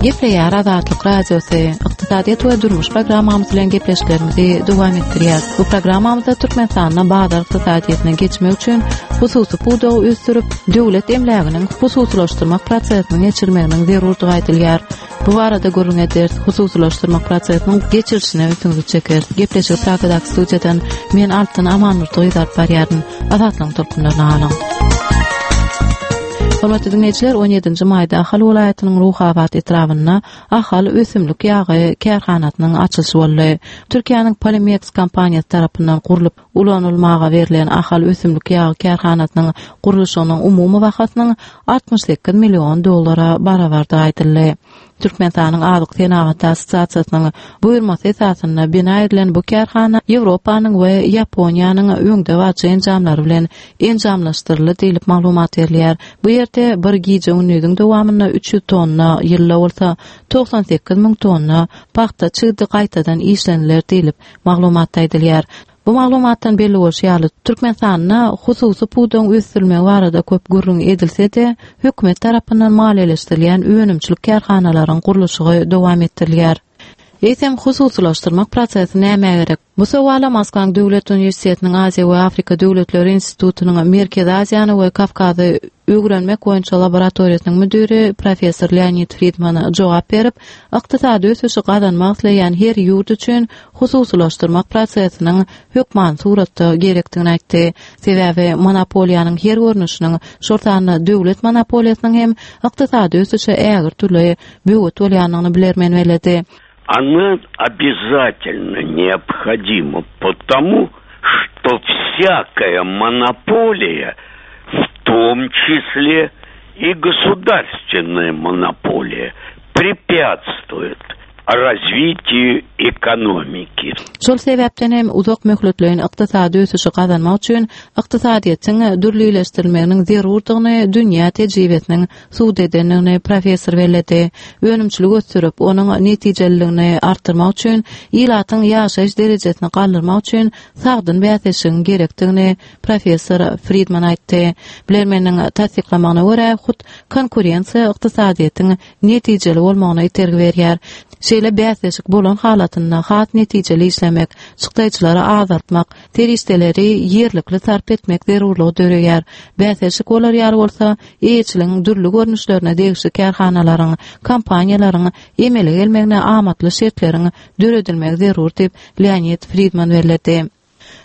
Gepleýär Azatlyk Radiosy, ykdysadyýet we durmuş programmamyz bilen gepleşiklerimizi dowam etdirýär. Bu programmamyzda Türkmenistanda bazar ykdysadyýetine geçmek üçin hususy pudagy ösdürip, döwlet emläginiň hususylaşdyrmak prosesiniň geçirilmeginiň zerurdygy aýdylýar. Bu barada gürrüň ederis, hususylaşdyrmak prosesiniň geçirilişine ünsüňizi çekeris. Gepleşigi Pragadaky studiýadan men Altyn Amandurdy gyz alyp barýaryn. Azatlygyň tolkunlaryna galyň. Hormatly diňleýjiler, 17-nji maýda Ahal welaýatynyň Ruhabat etrabynda Ahal ösümlik ýagy kärhanasynyň açylyşy boldy. Türkiýäniň Polimex kompaniýasy tarapyndan gurlup ulanylmaga berlen Ahal ösümlik ýagy kärhanasynyň gurluşygynyň umumy bahasynyň 68 million dollara barabardygy aýdyldy. Türkmenistanyň Azyk senagaty assosiasiýasynyň buýurmasy esasynda bina edilen bu kärhana Ýewropanyň we Ýaponiýanyň öňdebaryjy enjamlary bilen enjamlaşdyryldy diýlip maglumat berilýär. Bu ýerde bir gije-gündiziň dowamynda 300 tonna, ýylda bolsa 98 müň tonna pagta çigidi gaýtadan işleniler diýlip, maglumatda aýdylýar. Bu maglumatdan belli bolşy ýaly, Türkmenistanda hususy pudagyň ösdürilmegi barada köp gürrüň edilse-de, hökümet tarapyndan maliýeleşdirilýän önümçilik kärhanalaryň gurluşygy dowam etdirilýär. Eýsem, hususylaşdyrmak prosesi nämä gerek? Bu sowala Moskwaň Döwlet uniwersitetiniň Aziýa we Afrika döwletleri institutynyň Merkezi Aziýany we Kawkazy öwrenmek boýunça laboratoriýasynyň müdiri professor Leonid Fridman jogap berip, ykdysady ösüşi gazanmak isleýän her ýurt üçin hususylaşdyrmak prosesiniň hökmany suratda gerekdigini aýtdy. Sebäbi monopoliýanyň her görnüşiniň, şol sanda döwlet monopoliýasynyň hem ykdysady ösüşe ägirt uly böwet bolýandygyny bilermen belledi. Она обязательно необходима потому, что всякая монополия, в том числе и государственная монополия, препятствует развитию экономики. Şol sebäpden hem uzak möhletleýin ykdysady ösüşi gazanmak üçin ykdysadyýetiň dürlileşdirilmeginiň zerurdygyny dünýä tejribesiniň subut edendigini professor belledi. Önümçiligi ösdürip, onuň netijeliligini artdyrmak üçin, ilatyň ýaşaýyş derejesini galdyrmak üçin sagdyn bäsleşigiň gerekdigini professor Fridman aýtdy. Bilermeniň tassyklamagyna görä, hut konkurensiýa ykdysadyýetiň netijeli bolmagyna itergi berýär. Şeýle bäsleşik bolan halatynda has netijeli işlemek, çykdaýjylary azaltmak, serişdeleri ýerlikli sarp etmek zerurlygy döreýär. Bäsleşik bolar ýaly bolsa, eýeçiligiň dürli görnüşlerine degişli kärhanalaryň, kompaniýalaryň emele gelmegine amatly şertleriň döredilmegi zerur diýip, Leonid Fridman belledi.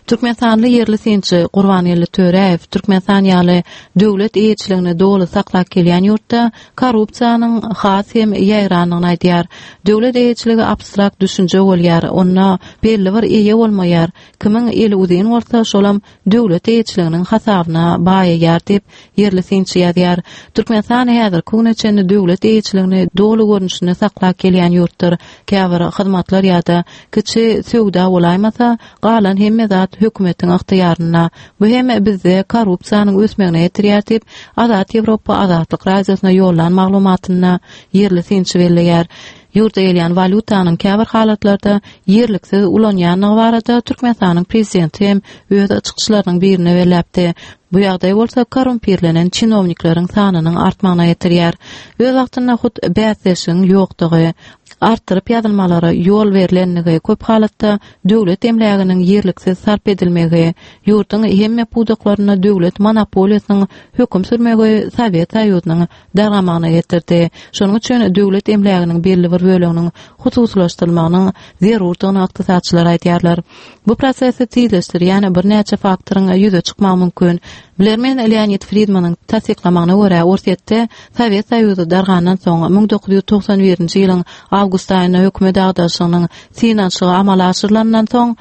Türkmenistanly ýerli synçy Gurbangeldi Töräýew Türkmenistan ýaly döwlet eýeçiligini doly saklap gelýän ýurtda korrupsiýanyň has hem ýaýrandygyny aýdýar. Döwlet eýeçiligi abstrakt düşünje bolýar, onda belli bir eýe bolmaýar. Kimiň eli uzyn bolsa, şolam döwlet eýeçiliginiň hasabyna baýaýar diýip, ýerli synçy ýazýar. Türkmenistan häzirki güne çenli döwlet eýeçiligini doly görnüşinde saklap gelýän ýurtdyr. Käbir hyzmatlar ýa-da kiçi söwda bolaýmasa, galan hemme zat hökümetiň ygtyýarynda. Bu hem bizde korrupsiýanyň ösmegine getirýär diýip, Azat Ýewropa Azatlyk Radiosyna ýollan maglumatynda ýerli synçy belleýär. Ýurda gelýän walýutanyň käbir halatlarda ýerliksiz ulanýandygy barada Türkmenistanyň prezidenti hem öz çykyşlarynyň birinde belläpdi. Bu ýagdaý bolsa korrumpirlenen çinownikleriň sanynyň artmagyna getirýär. Öz wagtynda hut bäsleşigiň ýokdugy, artdyryp ýazylmalara ýol berlenligi, köp halatda döwlet emläginiň ýerliksiz sarp edilmegi, ýurduň hemme pudaklarynda döwlet monopoliýasynyň höküm sürmegi Sowet Soýuzynyň dargamagyna getirdi. Şonuň üçin döwlet emläginiň belli bir böleginiň hususylaşdyrylmagynyň zerurdygyny ykdysatçylar aýdýarlar. Bu prosesi tizleşdirýän birnäçe faktoryň ýüze çykmagy mümkin. Bilermen Leonid Fridmanyň tassyklamagyna görä, Orsýetde Sowet Soýuzy dargandan soň, 1991-nji ýylyň awgust aýynda hökümet agdaryşygynyň synanyşygy amala aşyrylandan soň,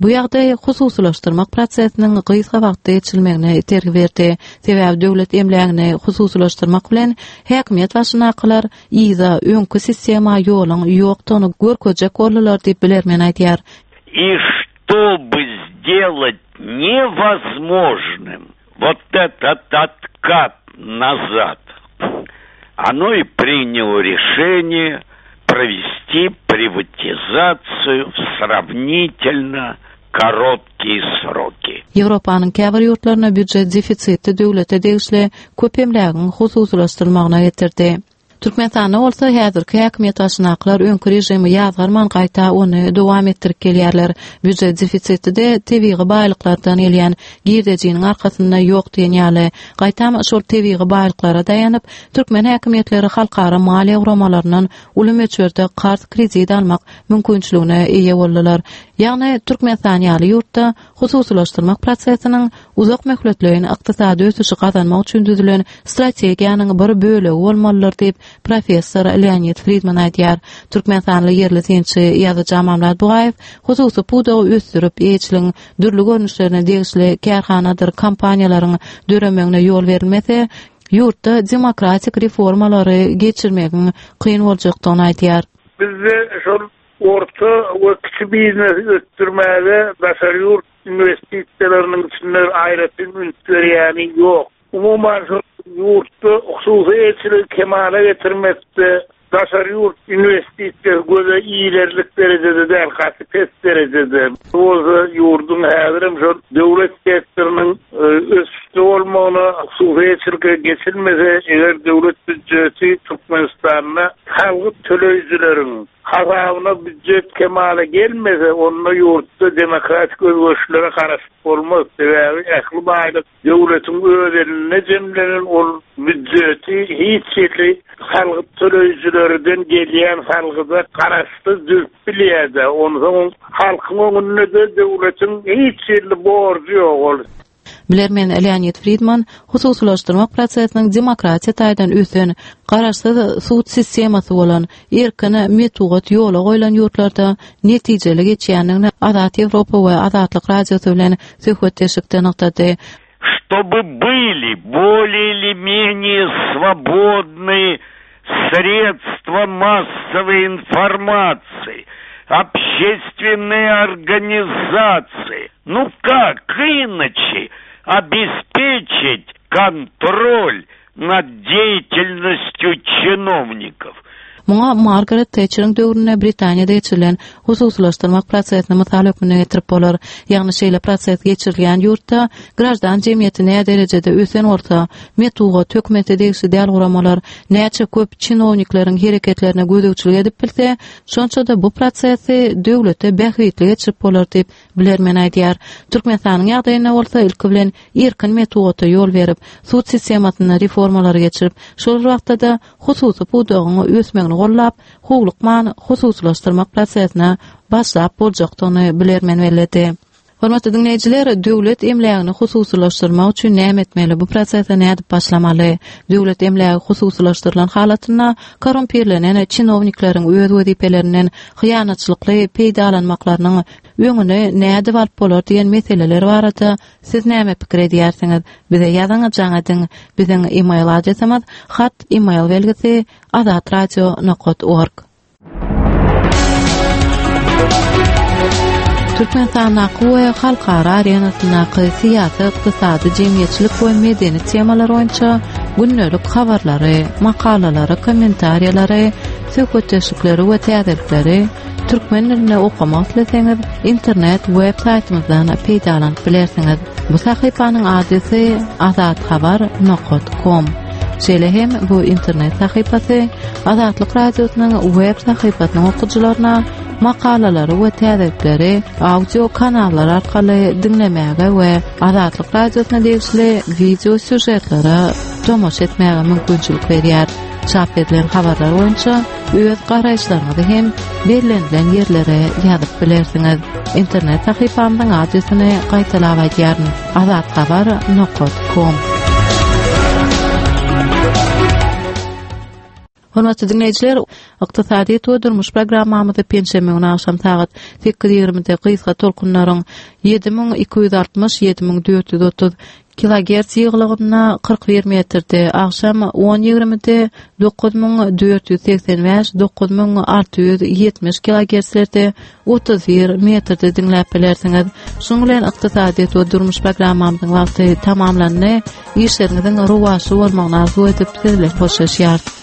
bu ýagdaý hususylaşdyrmak prosesiniň gysga wagtda geçirilmegine itergi berdi. Sebäbi döwlet emlägini hususylaşdyrmak bilen häkimiýet başyndakylar yza, öňki sistema ýoluň ýokdugyny görkezjek boldular diýip, bilermen aýdýar. И чтобы сделать невозможным вот этот откат назад, оно и приняло решение провести приватизацию в сравнительно. короткие сроки. Ýewropanyň käbir ýurtlarynda býujet defisiti döwlete degişli köp emlägiň hususylaşdyrylmagyna getirdi. Türkmenistanda bolsa häzirki häkimiýet başyndakylar öňki režimi ýazgarman gaýta ony dowam etdirip gelýärler. Býujet defisiti-de tebigy baýlyklardan gelýän girdejiniň arkasynda ýok diýen ýaly. Gaýtam şol tebigy baýlyklara daýanyp, türkmen häkimiýetleri halkara maliýe guramalaryndan uly möçberde karz-kredit almak mümkinçiligine eýe boldular. Ýagny Türkmenistan ýaly ýurtda hususylaşdyrmak prosesiniň uzak möhletleýin ykdysady ösüşi gazanmak üçin düzülen strategiýanyň bir bölegi bolmalydyr diýip, professor Leonid Fridman aýdýar. Türkmenistanly ýerli synçy, ýazyjy Amanmyrat Bugaýew hususy pudagy ösdürip, eýeçiligiň dürli görnüşlerine degişli kärhanadyr kompaniýalaryň döremegine ýol berilmese, ýurtda demokratik reformalary geçirmegiň kyn boljakdygyny aýdýar. Bizde şol Orta we kiçi biznesi ösdürmäge daşary ýurt inwestisiýalarynyň içinde aýratyn üns berýäni ýok. Umuman, şol ýurtda hususy eýeçiligi kemala getirmekde daşary ýurt inwestisiýasy göze ilerlik derejede däl, gaty pes derejede. Bu bolsa ýurduň häzirem şol döwlet sektorynyň ösüşde bolmagyna, hususy eýeçilige geçilmese, eger döwlet býujeti Türkmenistanda salgyt töleýjileriň Hasabyna býujet kemala gelmese, onda ýurtda demokratik özgerişlere garaşyp bolmaz. Sebäbi ähli baýlyk döwletiň öz elinde jemlenen, ol býujeti hiç hili salgyt töleýjilerden gelýän salgyda garaşsyz düzüp bilýär-de. Onsoň halkyň öňünde-de döwletiň hiç hili borjy ýok ol. Bilermen Leonid Fridman hususylaşdyrmak prosesiniň demokratiýa taýdan ösen, garaşsyz sud sistemasy bolan, erkin metbugat ýola goýlan ýurtlarda netijeli geçýändigini Azat Ýewropa we Azatlyk Radiosy bilen söhbetdeşlikde nygtady. Чтобы были более или менее свободные средства массовой информации, общественные организации. Ну как иначе обеспечить контроль над деятельностью чиновников? Muňa Margaret Tetçeriň döwründe Britaniýada geçirilen hususylaşdyrmak prosesini mysal hökmünde getirip bolar. Ýagny şeýle proses geçirilýän ýurtda graždan jemgyýeti näderejede ösen bolsa, metbugat, hökümete degişli däl guramalar näçe köp çinownikleriň hereketlerine gözegçilik edip bilse, şonça-da bu prosesi döwlete bähbitli geçirip bolar diýip, bilermen aýdýar. Türkmenistanyň ýagdaýynda bolsa ilki bilen erkin metbugata ýol berip, sud sistemasynda reformalary geçirip, şol bir wagtda-da hususy pudagyň ösmegini gollap, howlukman hususylaşdyrmak prosesine başlap boljakdygyny bilermen belledi. Hormatly diňleýjiler, döwlet emlägini hususylaşdyrmak üçin näme etmeli, bu prosese nädip başlamaly? Döwlet emlägi hususylaşdyrylan halatynda korrumpirlenen çinownikleriň öz wezipelerinden hyýanatçylykly peýdalanmaklarynyň öňüni nädip alyp bolar diýen meseleler barada Siz näme pikir edýärsiňiz? Bize ýazyň, jaň ediň. Biziň email adresimiz hat email belgisi azatradio nokat org. Türkmenistandaky we halkara arenasyndaky syýasy, ykdysady, jemgyýetçilik we medeni temalar boýunça gündelik habarlary, makalalary, kommentariýalary, söhbetdeşlikleri we täzelikleri Türkmen dilinde okamak isleseňiz, internet web saýtymyzdan peýdalanyp bilersiňiz. Bu sahypanyň adresi azathabar nokat kom. Şeýle hem bu internet sahypasy Azatlyk Radiosynyň web sahypasynyň okyjylaryna makalalary we täzelikleri audio kanallar arkaly diňlemäge we Azatlyk Radiosyna degişli wideo sýužetlere tomaşa etmäge mümkinçilik berýär. Çap edilen habarlar boýunça öz garaýyşlaryňyzy hem bellenilen ýerlere ýazyp bilersiňiz. Internet sahypamyzyň adresini gaýtalap aýdýaryn: azathabar nokat kom. Hormatly diňleýjiler, Ykdysadyýet we durmuş programmamyzy penşenbe güni agşam sagat 8:20-de gysga tolkunlaryň 7260, 7430 Kilogerts ýygylygynda 41 metrde, agşam on ýigrimide 9485, 9670 kilogertslerde 31 metrde diňläp bilersiňiz. Şunuň bilen ykdysadyýet we durmuş programmamyzyň wagty tamamlandy. Işleriňiziň rowaçly bolmagyny arzuw edip, siz bilen hoşlaşýarys.